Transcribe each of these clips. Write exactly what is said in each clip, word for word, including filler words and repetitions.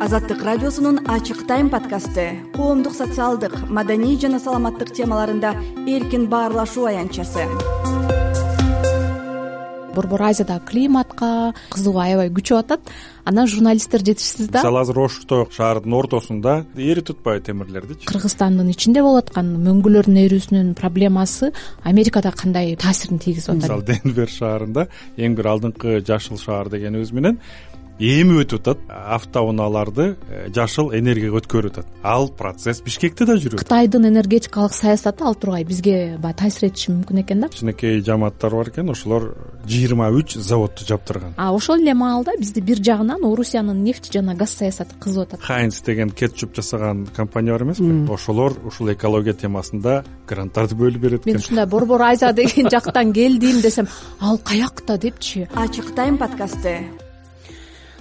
Азаттык радиосунун ачык тайм подкасты коомдук, социалдык, маданий жана саламаттык темаларында эркин баарлашуу аянтчасы. Борбор Азиядагы климатка кызыгуу аябай күчөп атат. Анан журналисттер жетишсиз да. Мисалы азыр Ошто шаардын ортосунда эритип атпайбы темирлердичи? Кыргызстандын ичинде болуп аткан мөңгүлөрдүн эрүүсүнүн проблемасы Америкада кандай таасирин тийгизип атат? Мисалы Денвер шаарында эң бир алдыңкы жашыл шаар дегенибиз менен эми өтүп атат. Автоунааларды жашыл энергияга өткөрүп атат. Ал процесс Бишкекте да жүрөт. Кытайдын энергетикалык саясаты ал тургай бизге баягы таасир этиши мүмкүн экен да. Кичинекей жамааттар бар экен, ошолор жыйырма үч заводду жаптырган. А ошол эле маалда бизди бир жагынан Орусиянын нефть жана газ саясаты кызып атат. Хайнц деген кетчуп жасаган компания бар эмеспи? Ошолор ушул экология темасында гранттарды бөлүп берет экен. Мен ушундай Борбор Азия деген жактан келдим десем, ал каякта депчи. Ачык тайм подкасты.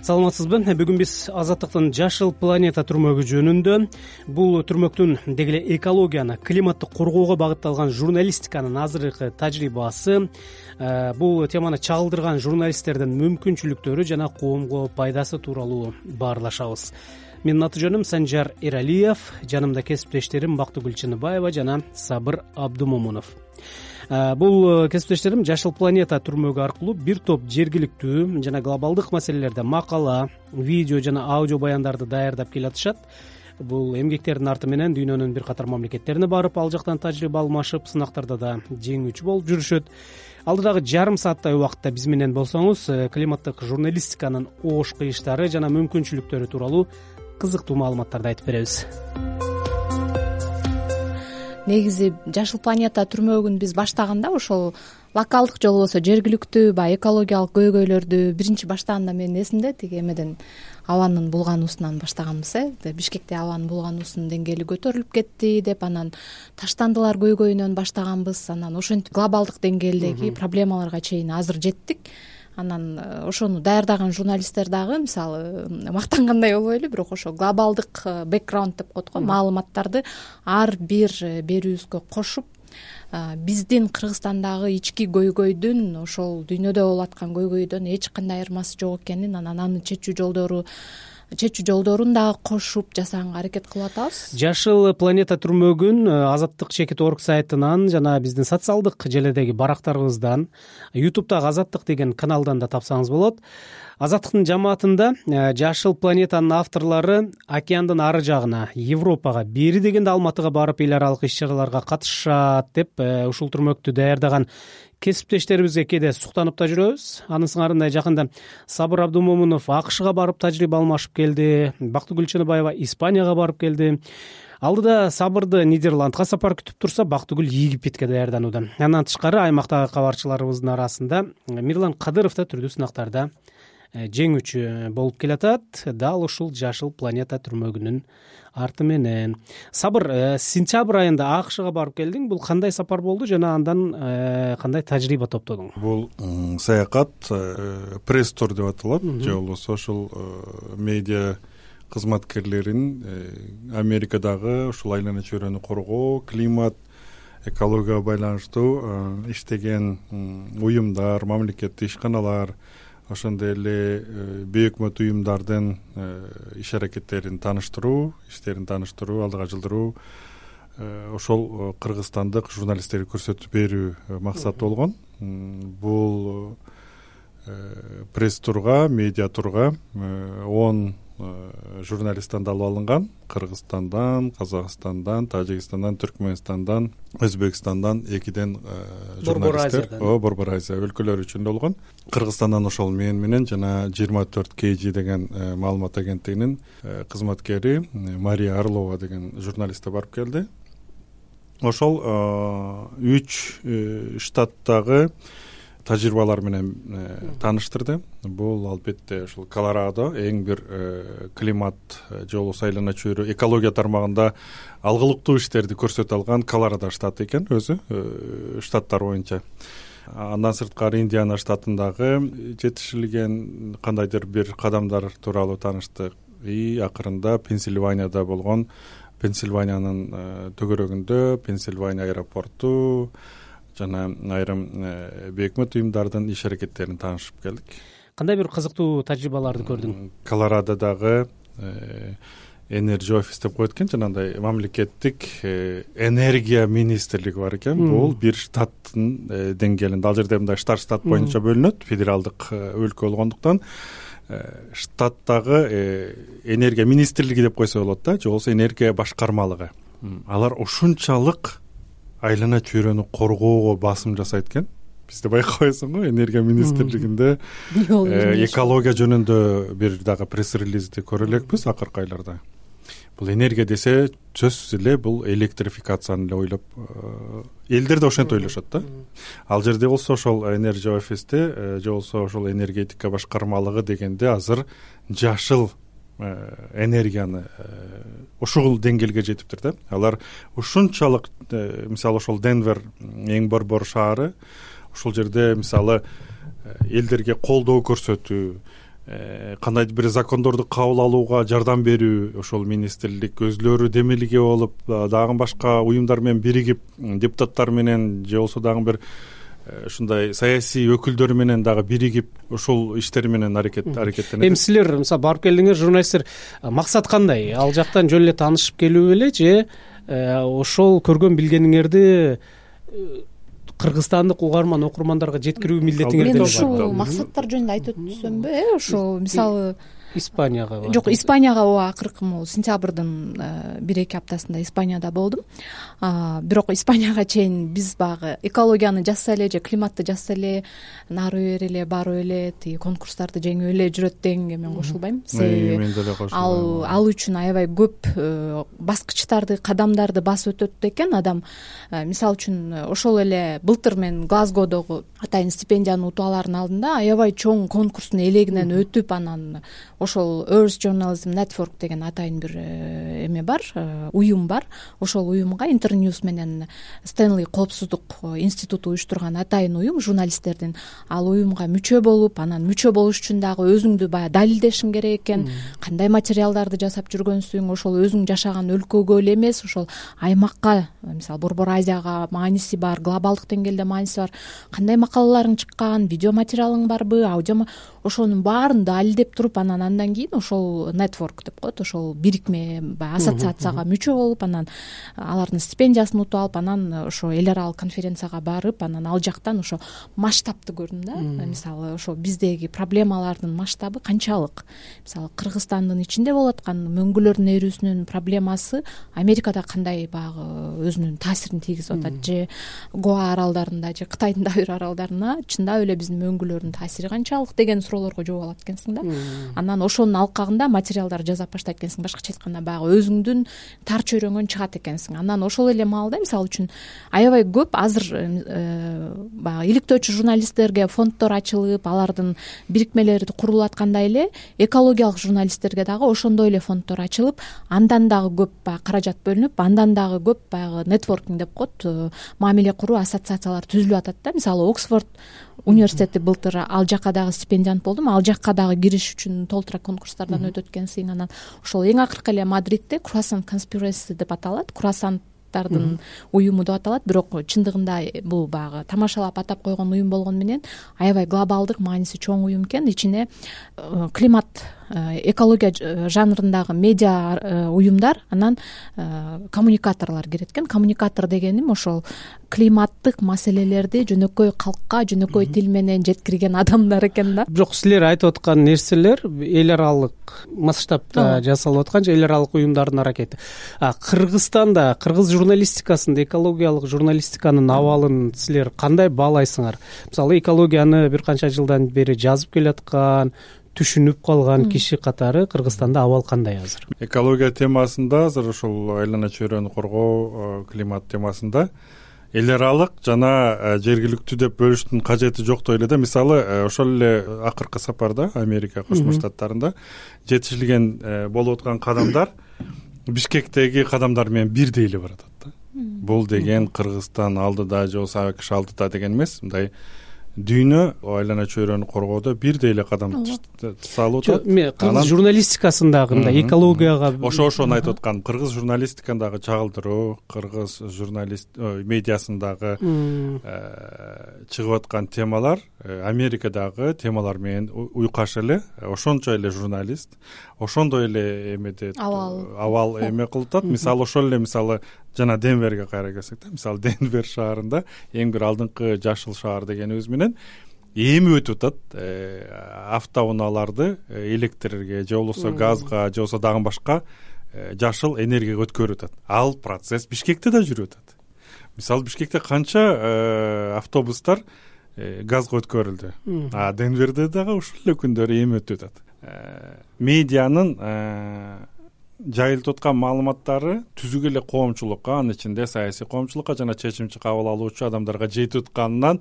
Саламатсызбы? Бүгүн биз Азаттыктын жашыл планета түрмөгү жөнүндө, бул түрмөктүн деги эле экологияны, климатты коргоого багытталган журналистиканын азыркы тажрыйбасы, бул теманы чагылдырган журналисттердин мүмкүнчүлүктөрү жана коомго пайдасы тууралуу баарлашабыз. Менин аты жөнүм Санжар Эралиев, жанымда кесиптештерим Бактыгүл Чыныбаева жана Сабыр Абдумомунов. Бул кесиптештерим Жашыл планета түрмөгү аркылуу бир топ жергиликтүү жана глобалдык маселелерде макала, видео жана аудио баяндарды даярдап келатышат. Бул эмгектердин арты менен дүйнөнүн бир катар мамлекеттерине барып, ал жактан тажрыйба алмашып, сынактарда да жеңүүчү болуп жүрүшөт. Алдыдагы жарым сааттай убакытта биз менен болсоңуз, климаттык журналистиканын оош кыйыштары жана мүмкүнчүлүктөрү тууралуу кызыктуу маалыматтарды айтып беребиз. Негизи Жашыл планета түрмөгүн биз баштаганда ошол локалдык же болбосо жергиликтүү баягы экологиялык көйгөйлөрдү биринчи баштаганда менин эсимде тиги эмеден абанын булгануусунан баштаганбыз э. Бишкекте абанын булгануусунун деңгээли көтөрүлүп кетти деп, анан таштандылар көйгөйүнөн баштаганбыз. Анан ошентип глобалдык деңгээлдеги проблемаларга чейин азыр жеттик. Анан ошону даярдаган журналисттер дагы мисалы мактангандай болбойлу, бирок ошо глобалдык бэкграунд деп коет го, маалыматтарды ар бир берүүбүзгө кошуп, биздин Кыргызстандагы ички көйгөйдүн ошол дүйнөдө болуп аткан көйгөйдөн эч кандай айырмасы жок экенин, анан аны чечүү жолдору чечүү жолдорун дагы кошуп жасаганга аракет кылып атабыз. Жашыл планета түрмөгүн Азаттык чекит орг сайтынан жана биздин социалдык желедеги барактарыбыздан, ютубтагы Азаттык деген каналдан да тапсаңыз болот. Азаттыктын жамаатында Жашыл планетанын авторлору океандын ары жагына, Европага, бери дегенде Алматыга барып эл аралык иш-чараларга катышат деп, ушул түрмөктү даярдаган кесиптештерибизге кээде суктанып да жүрөбүз. Анын сыңарындай жакында Сабыр Абдумомунов АКШга барып тажрыйба алмашып келди, Бактыгүл Чыныбаева Испанияга барып келди. Алдыда Сабырды Нидерландга сапар күтүп турса, Бактыгүл Египетке даярданууда. Андан тышкары аймактагы кабарчыларыбыздын арасында Мирлан Кадыров да түрдүү сынактарда жеңүүчү болуп келатат, дал ушул Жашыл планета түрмөгүнүн арты менен. Сабыр, сентябрь айында АКШга барып келдиң. Бул кандай сапар болду жана андан кандай тажрыйба топтодуң? Бул саякат пресс-тур деп аталат, же болбосо ошол медиа кызматкерлерин Америкадагы ушул айлана чөйрөнү коргоо, климат, экологияга байланыштуу иштеген уюмдар, мамлекеттик ишканалар, ошондой эле бейөкмөт уюмдардын иш аракеттерин тааныштыруу, иштерин тааныштыруу, алдыга жылдыруу, ошол кыргызстандык журналисттерге көрсөтүп берүү максаты болгон. Бул пресс-турга, медиа турга он журналисттан алып алынган. Кыргызстандан, Казакстандан, Тажикстандан, Түркмөнстандан, Өзбекстандан экиден журналисттер, о, Борбор Азия өлкөлөрү үчүн болгон. Кыргызстандан ошол мен менен жана жыйырма төрт кей жи деген маалымат агенттигинин кызматкери Мария Орлова деген журналист барып келди. Ошол үч штаттагы тажрыйбалар менен тааныштырды. Бул албетте ушул Колорадо эң бир климат же болбосо айлана чөйрө экология тармагында алгылыктуу иштерди көрсөтө алган Колорадо штаты экен өзү, штаттар боюнча. Андан сырткары Индиана штатындагы жетишилген кандайдыр бир кадамдар тууралуу тааныштык. И акырында Пенсильванияда болгон, Пенсильваниянын төгөрөгүндө Пенсильвания аэропорту жана айрым бейөкмөт уюмдардын иш аракеттерин таанышып келдик. Кандай бир кызыктуу тажрыйбаларды көрдүң? Колорадодагы энерджи офис деп коет экен, жанагындай мамлекеттик энергия министрлиги бар экен. Бул бир штаттын деңгээлинде, ал жерде мындай штат штат боюнча бөлүнөт, федералдык өлкө болгондуктан штаттагы энергия министрлиги деп койсо болот да, же болбосо энергия башкармалыгы. Алар ушунчалык айлана чөйрөнү коргоого басым жасайт экен. Бизде байкабайсың го, энергия министрлигинде экология жөнүндө бир дагы пресс-релизди көрө элекпиз акыркы айларда. Бул энергия десе сөзсүз эле бул электрификацияны эле ойлоп, элдер да ошентип ойлошот да. Ал жерде болсо ошол энерджи офисте же болсо ошол энергетика башкармалыгы дегенде азыр жашыл энергияны ушул деңгээлге жетиптир да. Алар ушунчалык, мисалы ошол Денвер эң борбор шаары, ушул жерде мисалы элдерге колдоо көрсөтүү, кандайдыр бир закондорду кабыл алууга жардам берүү, ошол министрлик өзлөрү демилге болуп, дагы башка уюмдар менен биригип, депутаттар менен же болсо дагы бир ушундай саясий өкүлдөр менен дагы биригип ушул иштер менен аракет аракеттенет. Эми силер мисалы барып келдиңер, журналисттер, максат кандай? Ал жактан жөн эле таанышып келүү беле же ошол көргөн билгениңерди кыргызстандык угарман окурмандарга жеткирүү милдетиңер? Мен ушул максаттар жөнүндө айтып өтсөмбү, э ошол мисалы Испанияга жок, Испанияга ооба акыркы могу сентябрдын бир эки аптасында Испанияда болдум. Бирок Испанияга чейин биз багы экологияны жазса эле же климатты жазса эле нары бери эле барып эле тиги конкурстарды жеңип эле жүрөт дегенге мен кошулбайм. Себеби мен деле кошулбайм. Ал ал үчүн аябай көп баскычтарды, кадамдарды басып өтөт экен адам. Мисалы үчүн ошол эле былтыр мен Глазгодогу атайын стипендияны утуп алаардын алдында аябай чоң конкурстун элегинен өтүп, анан ошол Earth Journalism Network деген атайын бир эме бар, уюм бар. Ошол уюмга Интерньюз менен Стэнли коопсуздук институту уюштурган атайын уюм, журналисттердин. Ал уюмга мүчө болуп, анан мүчө болуш үчүн дагы өзүңдү баягы далилдешиң керек экен. Кандай материалдарды жасап жүргөнсүң, ошол өзүң жашаган өлкөгө эле эмес, ошол аймакка, мисалы Борбор Азияга мааниси бар, глобалдык деңгээлде мааниси бар. Кандай макалаларың чыккан, видео материалың барбы, аудио, ошонун баарын далилдеп туруп, анан андан кийин ошол network деп коет, ошол бирикме, баягы ассоциацияга мүчө болуп, анан алардын стипендиясын утуп алып, анан ошо эл аралык конференцияга барып, анан ал жактан ошо масштабты көрдүм да. Мисалы ошо биздеги проблемалардын масштабы канчалык. Мисалы Кыргызстандын ичинде болуп аткан мөңгүлөрдүн эрүүсүнүн проблемасы Америкада кандай баягы өзүнүн таасирин тийгизип атат, же Гоа аралдарында, же Кытайдын дагы бир аралдарына чындап эле биздин мөңгүлөрдүн таасири канчалык деген суроолорго жооп алат экенсиң да. Анан ошонун алкагында материалдар жасап баштайт экенсиң. Башкача айтканда баягы өзүңдүн тар чөйрөңөн чыгат экенсиң. Анан ошол эле маалда мисалы үчүн аябай көп азыр баягы иликтөөчү журналисттерге фонддор ачылып, алардын бирикмелери курулуп аткандай эле экологиялык журналисттерге дагы ошондой эле фонддор ачылып, андан дагы көп баягы каражат бөлүнүп, андан дагы көп баягы нетворкинг деп коет, мамиле куруу ассоциациялар түзүлүп атат да. Мисалы Оксфорд университети былтыр ал жакка дагы стипендиант болдум. Ал жакка дагы кириш үчүн толтура конкурстардан өтөт экенсиң. Анан ошол эң акыркы эле Мадридте Croissant Conspiracy деп аталат. Круассанттардын уюму деп аталат. Бирок чындыгында бул баягы тамашалап атап койгон уюм болгону менен аябай глобалдык мааниси чоң уюм экен. Ичине климат, экология жанрындагы медиа уюмдар, анан коммуникаторлор кирет экен. Коммуникатор дегеним ошол климаттык маселелерди жөнөкөй калкка, жөнөкөй тил менен жеткирген адамдар экен да. Бирок силер айтып аткан нерселер эл аралык масштабта жасалып аткан же эл аралык уюмдардын аракети. Кыргызстанда, кыргыз журналистикасында экологиялык журналистиканын абалын силер кандай баалайсыңар? Мисалы экологияны бир канча жылдан бери жазып келаткан, түшүнүп калган киши катары Кыргызстанда абал кандай азыр? Экология темасында азыр ошол айлана чөйрөнү коргоо, климат темасында эл аралык жана жергиликтүү деп бөлүштүн кажети жоктой эле да. Мисалы ошол эле акыркы сапарда Америка Кошмо Штаттарында жетишилген болуп аткан кадамдар Бишкектеги кадамдар менен бирдей эле баратат да. Бул деген Кыргызстан алдыда же болбосо АКШ алдыда деген эмес, мындай дүйнө айлана чөйрөнү коргоодо бирдей эле кадам салып атат. Кыргыз журналистикасындагы мындай экологияга ошо ошону айтып аткам. Кыргыз журналистикасындагы чагылдыруу, кыргыз журналист медиасындагы чыгып аткан темалар Америкадагы темалар менен уйкаш эле, ошончо эле журналист, ошондой эле эмеде абал эме кылып атат. Мисалы ошол эле мисалы жана Денверге кайра келсек да, мисалы Денвер шаарында эң бир алдыңкы жашыл шаар дегенибиз менен эми өтүп атат автоунааларды электрге же болбосо газга же болбосо дагы башка жашыл энергияга өткөрүп атат. Ал процесс Бишкекте да жүрүп атат. Мисалы Бишкекте канча автобустар газга өткөрүлдү, а Денверде дагы ушул эле күндөрү эми өтүп атат. Медианын жайылтып аткан маалыматтары түзүк эле коомчулукка, анын ичинде саясий коомчулукка жана чечим кабыл алуучу адамдарга жетип атканынан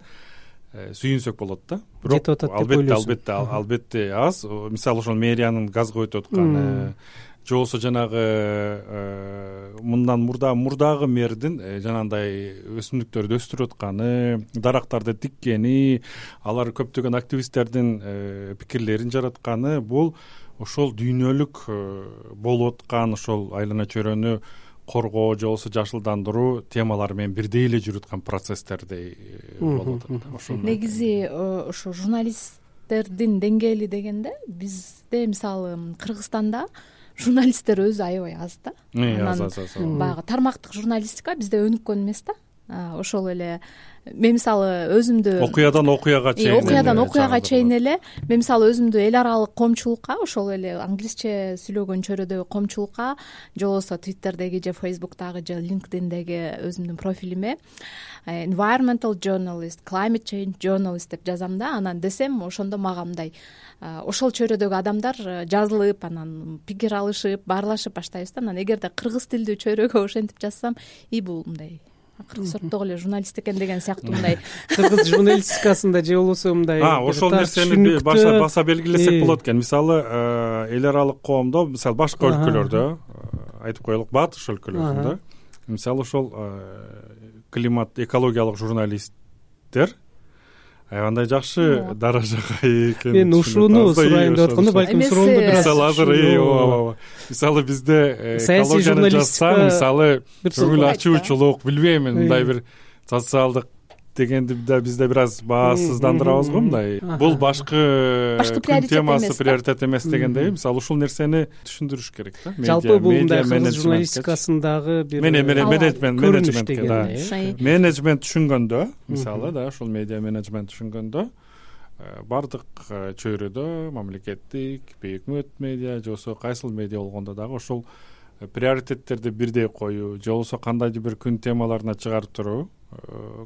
сүйүнсөк болот да. Бирок албетте албетте албетте аз. Мисалы ошол мэриянын газга өтүп атканы же болбосо жанагы мындан мурда мурдагы мэрдин жанагындай өсүмдүктөрдү өстүрүп атканы, дарактарды тиккени, алар көптөгөн активисттердин пикирлерин жаратканы, бул ошол дүйнөлүк болуп аткан ошол айлана чөйрөнү коргоо же болбосо жашылдандыруу темалары менен бирдей эле жүрүп аткан процесстердей болуп атат. Ошол негизи ошо журналисттердин деңгээли дегенде бизде мисалы Кыргызстанда журналисттер өзү аябай аз да. Анан баягы тармактык журналистика бизде өнүккөн эмес да. Ошол эле мен мисалы өзүмдү окуядан окуяга чейин окуядан окуяга чейин эле мен мисалы өзүмдү эл аралык коомчулукка, ошол эле англисче сүйлөгөн чөйрөдөгү коомчулукка же болбосо Twitterдеги же Facebook'тагы же LinkedIn'деги өзүмдүн профилиме environmental journalist, climate change journalist деп жазам да. Анан десем ошондо мага мындай ошол чөйрөдөгү адамдар жазылып, анан пикир алышып, баарлашып баштайбыз да. Анан эгерде кыргыз тилдүү чөйрөгө ошентип жазсам, и бул мындай кыргыз сорттогу эле журналист экен деген сыяктуу мындай кыргыз журналистикасында же болбосо мындай ошол нерсени баша баса белгилесек болот экен. Мисалы эл аралык коомдо, мисалы башка өлкөлөрдө айтып коелук, батыш өлкөлөрүндө мисалы ошол климат экологиялык журналисттер аябандай жакшы даражага ээ экен. Мен ушуну сурайын деп атканда, балким суроону бир аз мисалы азыр мисалы бизде экологияны жазсаң, мисалы көңүл ачуучулук, билбейм, мындай бир социалдык дегенди да бизде бир аз баасыздандырабыз го мындай. Бул башкы күн темасы приоритет эмес дегендей, мисалы ушул нерсени түшүндүрүш керек да. Жалпы бул мындай кыргыз журналистикасындагы бир менеджмент менеджмент менеджмент түшүнгөндө, мисалы да ушул медиа менеджмент түшүнгөндө бардык чөйрөдө мамлекеттик, өкмөт медиа же болбосо кайсыл медиа болгондо дагы ошол приоритеттерди бирдей коюу же болбосо кандайдыр бир күн темаларына чыгарып туруу,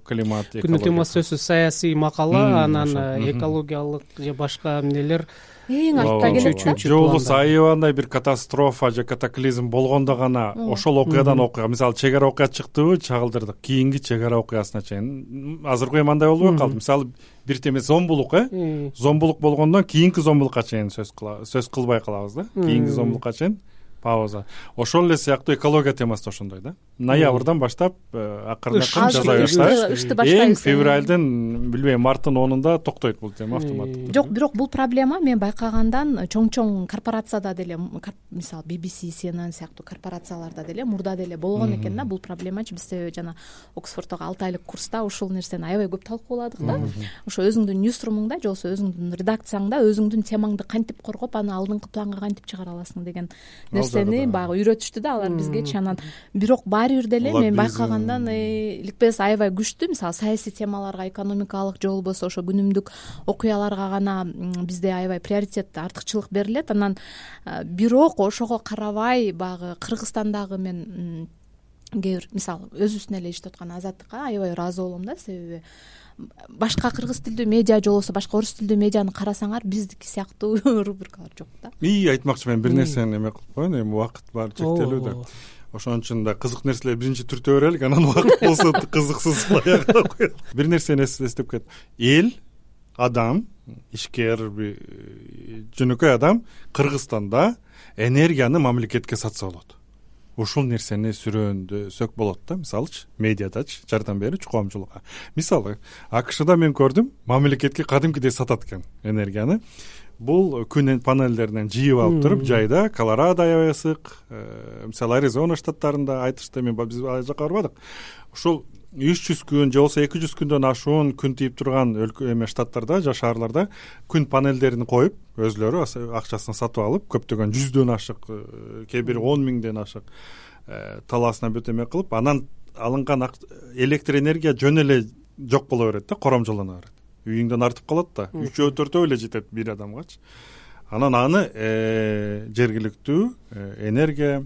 климат, экология. Күн темасы сөзсүз саясий макала, анан экологиялык же башка эмнелер эң артта келет да. Же болбосо аябандай бир катастрофа же катаклизм болгондо гана ошол окуядан окуя, мисалы чек ара окуя чыктыбы, чагылдырдык, кийинки чек ара окуясына чейин. Азыркы эми андай болбой калды. Мисалы бир теме зомбулук, э зомбулук болгондон кийинки зомбулукка чейин сөз сөз кылбай калабыз да. Кийинки зомбулукка чейин пауза. Ошол эле сыяктуу экология темасы да ошондой да. Ноябрдан баштап акырын акырын жаза баштайбыз. Эң февралдын, билбейм, марттын онунда токтойт бул тема автоматтык. Жок, бирок бул проблема мен байкагандан чоң-чоң корпорацияда деле, мисалы би би си, си эн эн сыяктуу корпорацияларда деле мурда деле болгон экен да бул проблемачы. Биз жана Оксфорддогу алты айлык курста ушул нерсени аябай көп талкууладык да. Ошо өзүңдүн ньюсрумуңда же болбосо өзүңдүн редакцияңда өзүңдүн темаңды кантип коргоп, аны алдыңкы планга кантип чыгара аласың деген нерсени баягы үйрөтүштү да алар бизгечи. Анан бирок баары бир деле мен байкагандан иликпес аябай күчтүү, мисалы саясий темаларга, экономикалык же болбосо ошо күнүмдүк окуяларга гана бизде аябай приоритет, артыкчылык берилет. Анан бирок ошого карабай баягы Кыргызстандагы мен кээ бир мисалы өзүбүздүн эле иштеп аткан Азаттыкка аябай ыраазы болом да. Себеби башка кыргыз тилдүү медиа же болбосо башка орус тилдүү медианы карасаңар биздики сыяктуу рубрикалар жок да. И айтмакчы мен бир нерсени эме кылып коеюн, эми убакыт баары чектелүү да. Ошон үчүн да кызык нерселерди биринчи түртө берелик, анан убакыт болсо кызыксыз аягына коелук. Бир нерсени эстеп кет. Эл, адам, ишкер, жөнөкөй адам Кыргызстанда энергияны мамлекетке сатса болот. ушул нерсени сүрөөндөсөк болот да. Мисалычы медиадачы жардам берүүчү коомчулукка. Мисалы АКШда мен көрдүм, мамлекетке кадимкидей сатат экен энергияны. Бул күн панелдеринен жыйып алып туруп жайда, Колорадо аябай ысык, мисалы Аризона штаттарында айтышты, мен биз ал жака барбадык. Ушул үч жүз күн же болбосо эки жүз күндөн ашуун күн тийип турган өлкө эме штаттарда же шаарларда күн панелдерин коюп, өзлөрү акчасын сатып алып, көптөгөн жүздөн ашык, кээ бири он миңден ашык талаасына бүт эме кылып, анан алынган электр энергия жөн эле жок боло берет да, коромжолоно берет. Үйүңдөн артып калат да, үчөө төртөө эле жетет бир адамгачы. Анан аны жергиликтүү энергия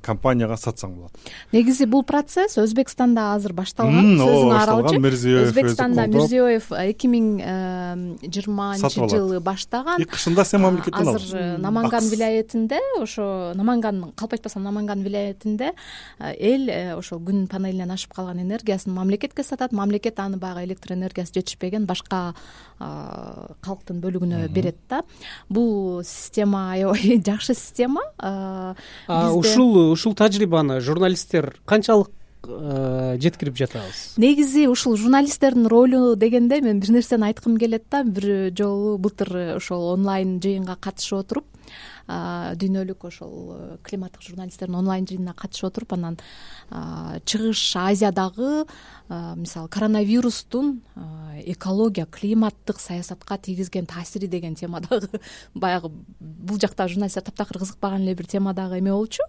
компанияга сатсаң болот. Негизи бул процесс Өзбекстанда азыр башталган. Сөзүңө аралчы. Өзбекстанда Мирзиёев эки миң жыйырманчы жылы баштаган. Кышында сен мамлекеттен алдың. Азыр Наманган вилаятинде, ошо Наманган, калп айтпасам Наманган вилаятинде эл ошо күн панелинен ашып калган энергиясын мамлекетке сатат. Мамлекет аны баягы электр энергиясы жетишпеген башка калктын бөлүгүнө берет да. Бул система аябай жакшы система. Ушул ушул тажрыйбаны журналисттер канчалык жеткирип жатабыз? Негизи ушул журналисттердин ролу дегенде мен бир нерсени айткым келет да. Бир жолу былтыр ошол онлайн жыйынга катышып отуруп, дүйнөлүк ошол климаттык журналисттердин онлайн жыйынына катышып отуруп, анан Чыгыш Азиядагы мисалы коронавирустун экология, климаттык саясатка тийгизген таасири деген темадагы баягы бул жакта журналисттер таптакыр кызыкпаган эле бир темадагы эме болчу,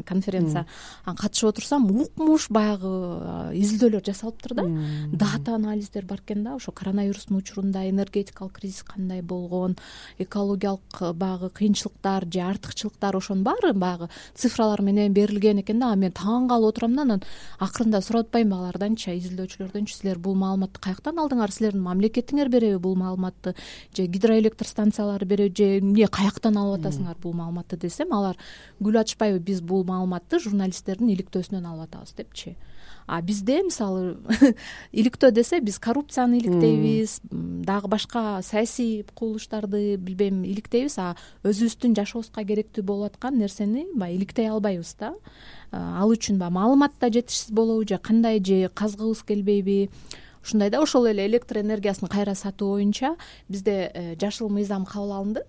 конференция. Анан катышып отурсам, укмуш баягы изилдөөлөр жасалыптыр да. Дата анализдер бар экен да, ошо коронавирустун учурунда энергетикалык кризис кандай болгон, экологиялык баягы кыйынчылыктар же артыкчылыктар, ошонун баары баягы цифралар менен берилген экен да. Мен таң калып отурам да, анан акырында сурап атпаймынбы аларданчы, изилдөөчүлөрдөнчү, силер бул маалыматты каяктан алдыңар, силердин мамлекетиңер береби бул маалыматты, же гидроэлектр станциялары береби, же эмне каяктан алып атасыңар бул маалыматты десем, алар гүл ачпайбы, биз бул маалыматты журналисттердин иликтөөсүнөн алып атабыз депчи. А бизде мисалы иликтөө десе биз коррупцияны иликтейбиз, дагы башка саясий кубулуштарды билбейм иликтейбиз, а өзүбүздүн жашообузга керектүү болуп аткан нерсени баягы иликтей албайбыз да. Ал үчүн баягы маалымат да жетишсиз болобу, же кандай, же казгыбыз келбейби. Ушундай да. Ошол эле электр энергиясын кайра сатуу боюнча бизде жашыл мыйзам кабыл алынды.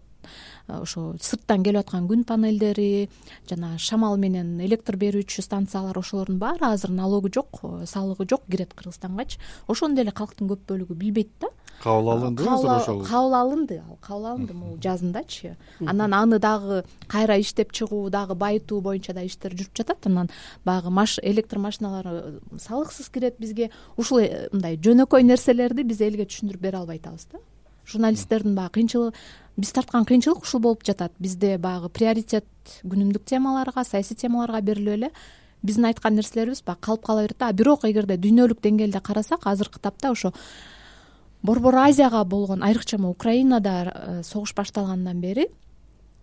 Ошо сырттан келип аткан күн панелдери жана шамал менен электр берүүчү станциялар, ошолордун баары азыр налогу жок, салыгы жок, кирет Кыргызстангачы. Ошону деле калктын көп бөлүгү билбейт да. Кабыл алынды азыр ошол. Кабыл алынды, ал кабыл алынды могу жазындачы. Анан аны дагы кайра иштеп чыгуу, дагы байытуу боюнча да иштер жүрүп жатат. Анан баягы маш электр машиналары салыксыз кирет бизге. Ушул мындай жөнөкөй нерселерди биз элге түшүндүрүп бере албай атабыз да. Журналисттердин баягы кыйынчылыгы, биз тарткан кыйынчылык ушул болуп жатат. Бизде баягы приоритет күнүмдүк темаларга, саясий темаларга берилип эле биздин айткан нерселерибиз баягы калып кала берет да. Бирок эгерде дүйнөлүк деңгээлде карасак, азыркы тапта ошо Борбор Азияга болгон, айрыкча Украинада согуш башталгандан бери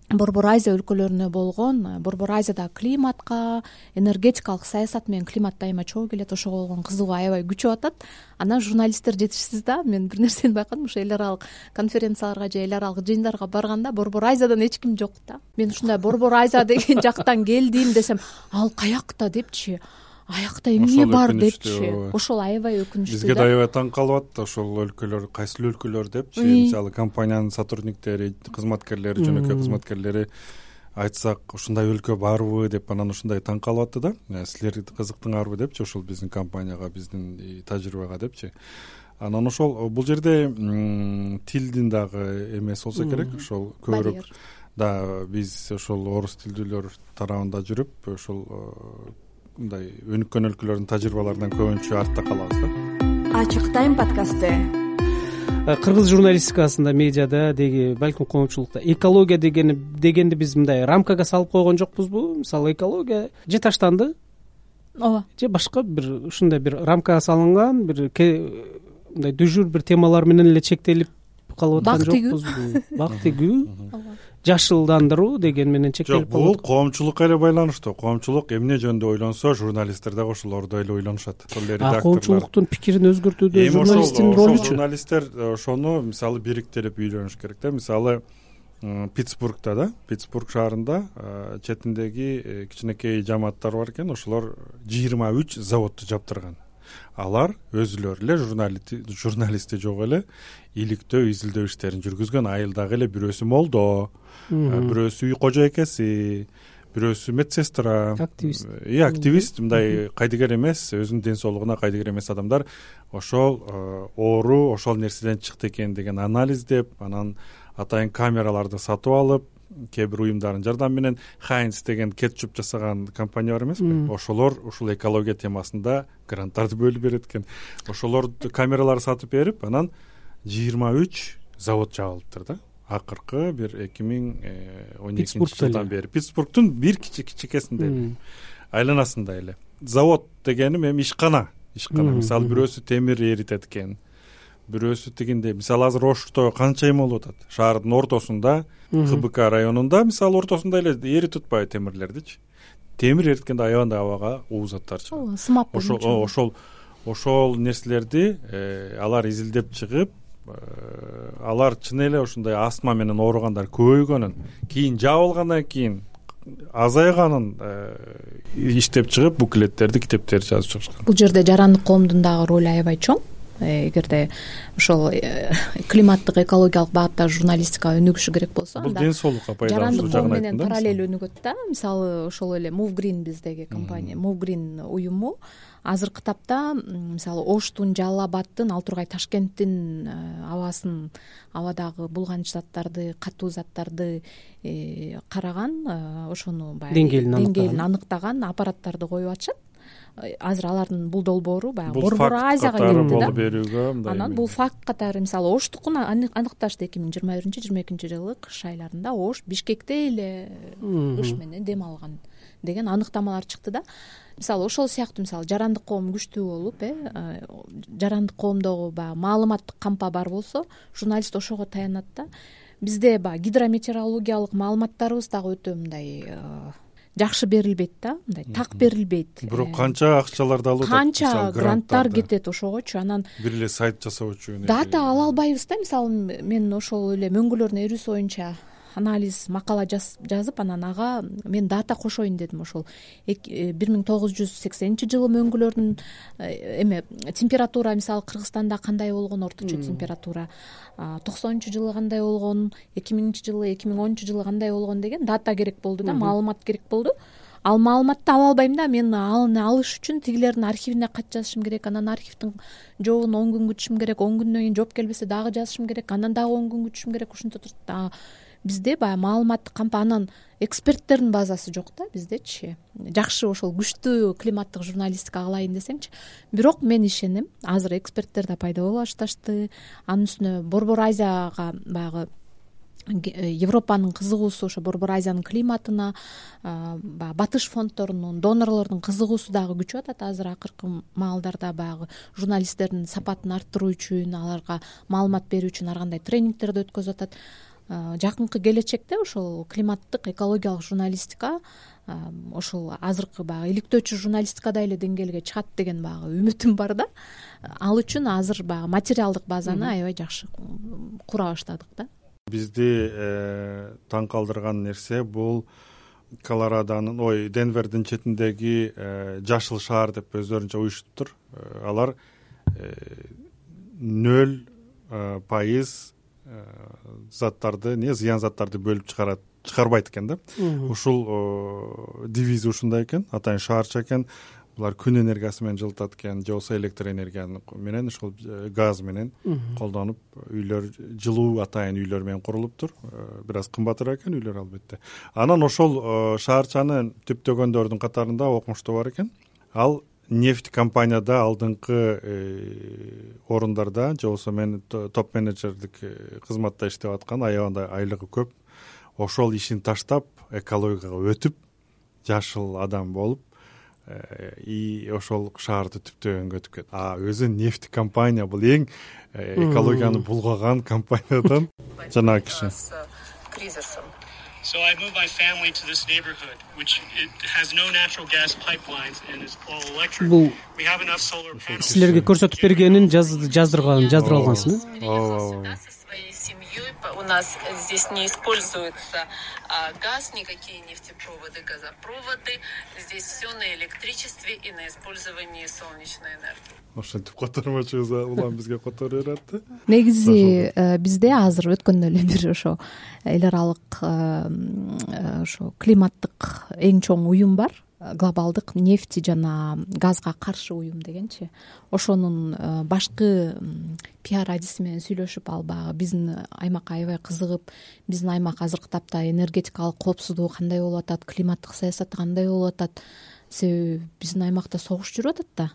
Борбор Азия өлкөлөрүнө болгон, Борбор Азияда климатка, энергетикалык саясат менен климат дайыма чогуу келет, ошого болгон кызыгуу аябай күчөп атат. Анан журналисттер жетишсиз да. Мен бир нерсени байкадым, ошо эл аралык конференцияларга же эл аралык жыйындарга барганда Борбор Азиядан эч ким жок да. Мен ушундай Борбор Азия деген жактан келдим десем, ал каякта депчи, аякта эмне бар депчи. Ошол аябай өкүнүчтүү. Бизге да аябай таң калып атты ошол өлкөлөр, кайсыл өлкөлөр депчи. Мисалы компаниянын сотрудниктери, кызматкерлери, жөнөкөй кызматкерлери айтсак, ушундай өлкө барбы деп анан ушундай таң калып атты да. Силер кызыктыңарбы депчи, ошол биздин компанияга, биздин тажрыйбага депчи. Анан ошол бул жерде тилдин дагы эмеси болсо керек, ошол көбүрөөк да биз ошол орус тилдүүлөр тарабында жүрүп, ошол мындай өнүккөн өлкөлөрдүн тажрыйбаларынан көбүнчө артта калабыз да. Ачык тайм подкасты. Кыргыз журналистикасында, медиада деги, балким коомчулукта экология дегени дегенди биз мындай рамкага салып койгон жокпузбу? Мисалы экология же таштанды? Ооба. Же башка бир ушундай бир рамкага салынган, бир мындай дүжүр бир темалар менен эле чектелип калып аткан жокпузбу? Бак тигүү, жашылдандыруу деген менен чектелип калып. Жок, бул коомчулукка эле байланыштуу. Коомчулук эмне жөнүндө ойлонсо, журналисттер дагы ошолордой эле ойлонушат. Ошол эле редакторлор. Коомчулуктун пикирин өзгөртүүдө журналисттин ролучу. Журналисттер ошону мисалы бириктирип үйлөнүш керек да. Мисалы Питтсбургда да Питтсбург шаарында четиндеги кичинекей жамааттар бар экен, ошолор жыйырма үч заводду жаптырган. Алар өзүлөрү эле журналисти жок эле иликтөө изилдөө иштерин жүргүзгөн. Айылдагы эле бирөөсү молдо, бирөөсү үй кожойкеси, бирөөсү медсестра, активист. И активист, мындай кайдыгер эмес, өзүнүн ден соолугуна кайдыгер эмес адамдар ошол оору ошол нерседен чыкты экен деген анализдеп, анан атайын камераларды сатып алып, кээ бир уюмдардын жардамы менен Хайнс деген кетчуп жасаган компания бар эмеспи, ошолор ушул экология темасында гранттарды бөлүп берет экен. Ошолор камераларды сатып берип, анан жыйырма үч завод жабылыптыр да. Акыркы бир эки миң он экинчи жылдан бери Питтсбургдун бир кичикесинде айланасында эле. Завод дегеним эми ишкана, ишкана. Мисалы бирөөсү темир эритет экен, бирөөсү тигинде. Мисалы азыр Ошто канча эме болуп атат? Шаардын ортосунда, КБК районунда, мисалы ортосунда эле эритип атпайбы темирлердичи? Темир эриткенде аябандай абага уу заттар чыгат. Сымап ошол ошол ошол нерселерди алар изилдеп чыгып, алар чын эле ушундай астма менен ооругандар көбөйгөнүн, кийин жабылгандан кийин азайганын иштеп чыгып, буклеттерди, китептерди жазып чыгышкан. Бул жерде жарандык коомдун дагы ролу аябай чоң. Эгерде ошол климаттык экологиялык багытта журналистика өнүгүшү керек болсо, бул ден соолукка пайдалануу жагын менен параллель өнүгөт да. Мисалы ошол эле Move Green биздеги компания, Move Green уюму азыркы тапта мисалы Оштун, Жалал Абадтын, ал тургай Ташкенттин абасын, абадагы булганыч заттарды, катуу заттарды караган, ошону баягы деңгээлин аныктаган аппараттарды коюп атышат. Азыр алардын бул долбоору баягы Борбор Азияга кетти да. Анан бул факт катары мисалы Оштукун аныкташты эки миң жыйырма биринчи жыйырма экинчи жылы кыш айларында Ош Бишкекте эле кыш менен дем алган деген аныктамалар чыкты да. Мисалы ошол сыяктуу мисалы жарандык коом күчтүү болуп, э жарандык коомдогу баягы маалыматтык кампа бар болсо, журналист ошого таянат да. Бизде баягы гидрометеорологиялык маалыматтарыбыз дагы өтө мындай жакшы берилбейт да, мындай так берилбейт. Бирок канча акчаларды алып атат, канча гранттар кетет ошогочу. Анан бир эле сайт жасоо үчүн дата ала албайбыз да. Мисалы мен ошол эле мөңгүлөрдүн эрүүсү боюнча анализ макала жазып, анан ага мен дата кошоюн дедим. Ошол бир миң тогуз жүз сексенинчи жылы мөңгүлөрдүн эме температура мисалы Кыргызстанда кандай болгон, орточо температура, токсонунчу жылы кандай болгон, эки миңинчи жылы, эки миң онунчу жылы кандай болгон деген дата керек болду да, маалымат керек болду. Ал маалыматты ала албайм да. Мен аны алыш үчүн тигилердин архивине кат жазышым керек. Анан архивдин жообун он күн күтүшүм керек. он күндөн кийин жооп келбесе дагы жазышым керек. Анан дагы он күн күтүшүм керек. Ушинтип турат. Бизде баягы маалыматтык кампа, анан эксперттердин базасы жок да биздечи. Жакшы ошол күчтүү климаттык журналистика кылайын десемчи. Бирок мен ишенем, азыр эксперттер да пайда боло башташты. Анын үстүнө Борбор Азияга баягы Европанын кызыгуусу, ошо Борбор Азиянын климатына, баягы батыш фонддорунун, донорлордун кызыгуусу дагы күчүп атат. Азыр акыркы маалдарда баягы журналисттердин сапатын арттыруу үчүн, аларга маалымат берүү үчүн ар кандай тренингтерди өткөзүп атат. Жакынкы келечекте ошол климаттык экологиялык журналистика ошол азыркы баягы иликтөөчү журналистикадай эле деңгээлге чыгат деген баягы үмүтүм бар да. Ал үчүн азыр баягы материалдык базаны аябай жакшы кура баштадык да. Бизди таң калтырган нерсе бул Колорадонун, ой, Денвердин четиндеги жашыл шаар деп өздөрүнчө уюштуптур. Алар нөл пайыз заттарды, не зыян заттарды бөлүп чыгарат, чыгарбайт экен да. Ушул девизи ушундай экен, атайын шаарча экен. Булар күн энергиясы менен жылытат экен, же болбосо электр энергияны менен, ушул газ менен колдонуп, үйлөр жылуу атайын үйлөр менен курулуптур. Бир аз кымбатыраак экен үйлөр албетте. Анан ошол шаарчанын түптөгөндөрдүн катарында окумуштуу бар экен. Ал нефть компанияда алдыңкы орундарда, же болбосо мен топ менеджерлик кызматта иштеп аткан, аябандай айлыгы көп. Ошол ишин таштап, экологияга өтүп, жашыл адам болуп, и ошол шаарды түптөгөнгө өтүп кетти. А өзү нефть компания, бул эң экологияны булгаган компаниядан жанагы киши. So I moved my family to this neighborhood, which it has no natural gas pipelines and is all electric. We have enough solar panels. Силерге көрсөтүп бергенин жаздырган, жаздырып алгансың, э? Ооба. семьей. У нас здесь не используется газ, никакие нефтепроводы, газопроводы. Здесь все на электричестве и на использовании солнечной энергии. Ошентип котормочубуз улам бизге которо берет да. Негизи бизде азыр өткөндө эле бир ошо эл аралык ошо климаттык эң чоң уюм бар, глобалдык нефти жана газга каршы уюм дегенчи. Ошонун башкы пиар адиси менен сүйлөшүп, ал баягы биздин аймакка аябай кызыгып, биздин аймак азыркы тапта энергетикалык коопсуздугу кандай болуп атат, климаттык саясаты кандай болуп атат. Себеби биздин аймакта согуш жүрүп атат да.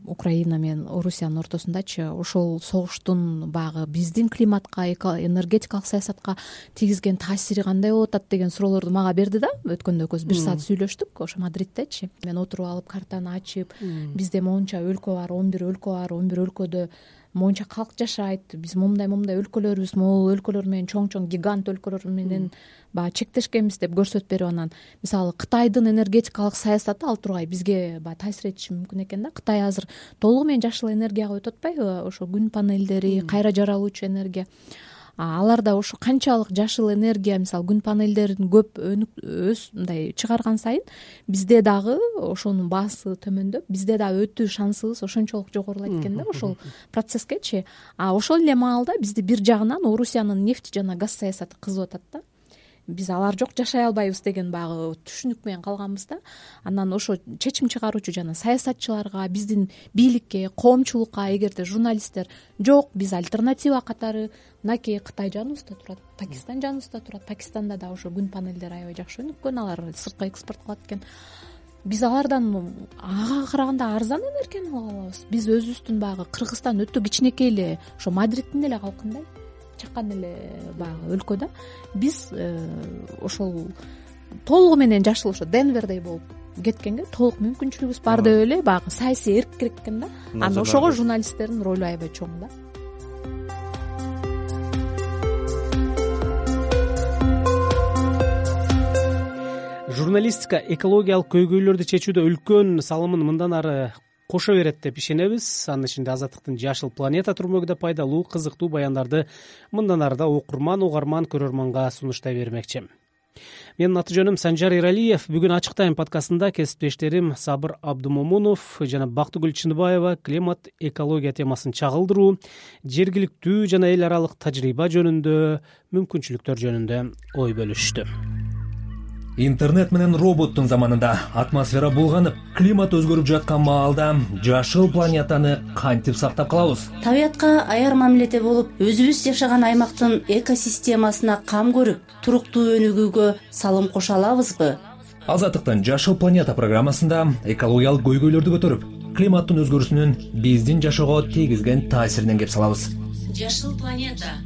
Украина менен Орусиянын ортосундачы. Ошол согуштун баягы биздин климатка, энергетикалык саясатка тийгизген таасири кандай болуп атат деген суроолорду мага берди да. Өткөндө көз бир саат сүйлөштүк ошо Мадриттечи. Мен отуруп алып картаны ачып, бизде монча өлкө бар, он бир өлкө бар, он бир өлкөдө монча калк жашайт. Биз момундай момундай өлкөлөрбүз, могул өлкөлөр менен чоң-чоң гигант өлкөлөр менен баягы чектешкенбиз деп көрсөтүп берип, анан мисалы Кытайдын энергетикалык саясаты ал тургай бизге баягы таасир этиши мүмкүн экен да. Кытай азыр толугу менен жашыл энергияга өтүп атпайбы? Ошо күн панелдери, кайра жаралуучу энергия. Аларда ошо канчалык жашыл энергия, мисалы күн панелдерин көп өз мындай чыгарган сайын бизде дагы ошонун баасы төмөндөп, бизде дагы өтүү шансыбыз ошончолук жогорулайт экен да ошол процесскечи. А ошол эле маалда бизди бир жагынан Орусиянын нефть жана газ саясаты кызып атат да. Биз алар жок жашай албайбыз деген баягы түшүнүк менен калганбыз да. Анан ошо чечим чыгаруучу жана саясатчыларга, биздин бийликке, коомчулукка, эгерде журналисттер жок, биз альтернатива катары мынакей Кытай жаныбызда турат, Пакистан жаныбызда турат. Пакистанда да ошо күн панелдери аябай жакшы өнүккөн, алар сыртка экспорт кылат экен. Биз алардан ага караганда арзан энергияны ала алабыз. Биз өзүбүздүн баягы Кыргызстан өтө кичинекей эле, ошо Мадриттин эле калкындай чакан эле баягы өлкө да. Биз ошол толугу менен жашыл ошо Денвердей болуп кеткенге толук мүмкүнчүлүгүбүз бар деп эле баягы саясий эркирик экен да. Анан ошого журналисттердин ролу аябай чоң да. Журналистика экологиялык көйгөйлөрдү чечүүдө үлкөн салымын мындан ары кошо берет деп ишенебиз. Анын ичинде Азаттыктын Жашыл планета турмөгү да пайдалуу, кызыктуу баяндарды мындан ары да окурман, угарман, көрөрманга сунуштай бермекчи. Менин аты жөнүм Санжар Иралиев. Бүгүн Ачык тайм подкастында кесиптештерим Сабыр Абдумомунов жана Бактыгүл Чыныбаева климат, экология темасын чагылдыруу, жергиликтүү жана эл аралык тажрыйба жөнүндө, мүмкүнчүлүктөр жөнүндө ой бөлүштү. Интернет менен роботтун заманында атмосфера булганып, климат өзгөрүп жаткан маалда жашыл планетаны кантип сактап калабыз? Табиятка аяр мамиледе болуп, өзүбүз жашаган аймактын экосистемасына кам көрүп, туруктуу өнүгүүгө салым кошо алабызбы? Азаттыктын Жашыл планета программасында экологиялык көйгөйлөрдү көтөрүп, климаттын өзгөрүүсүнүн биздин жашоого тийгизген таасиринен кеп салабыз. Жашыл планета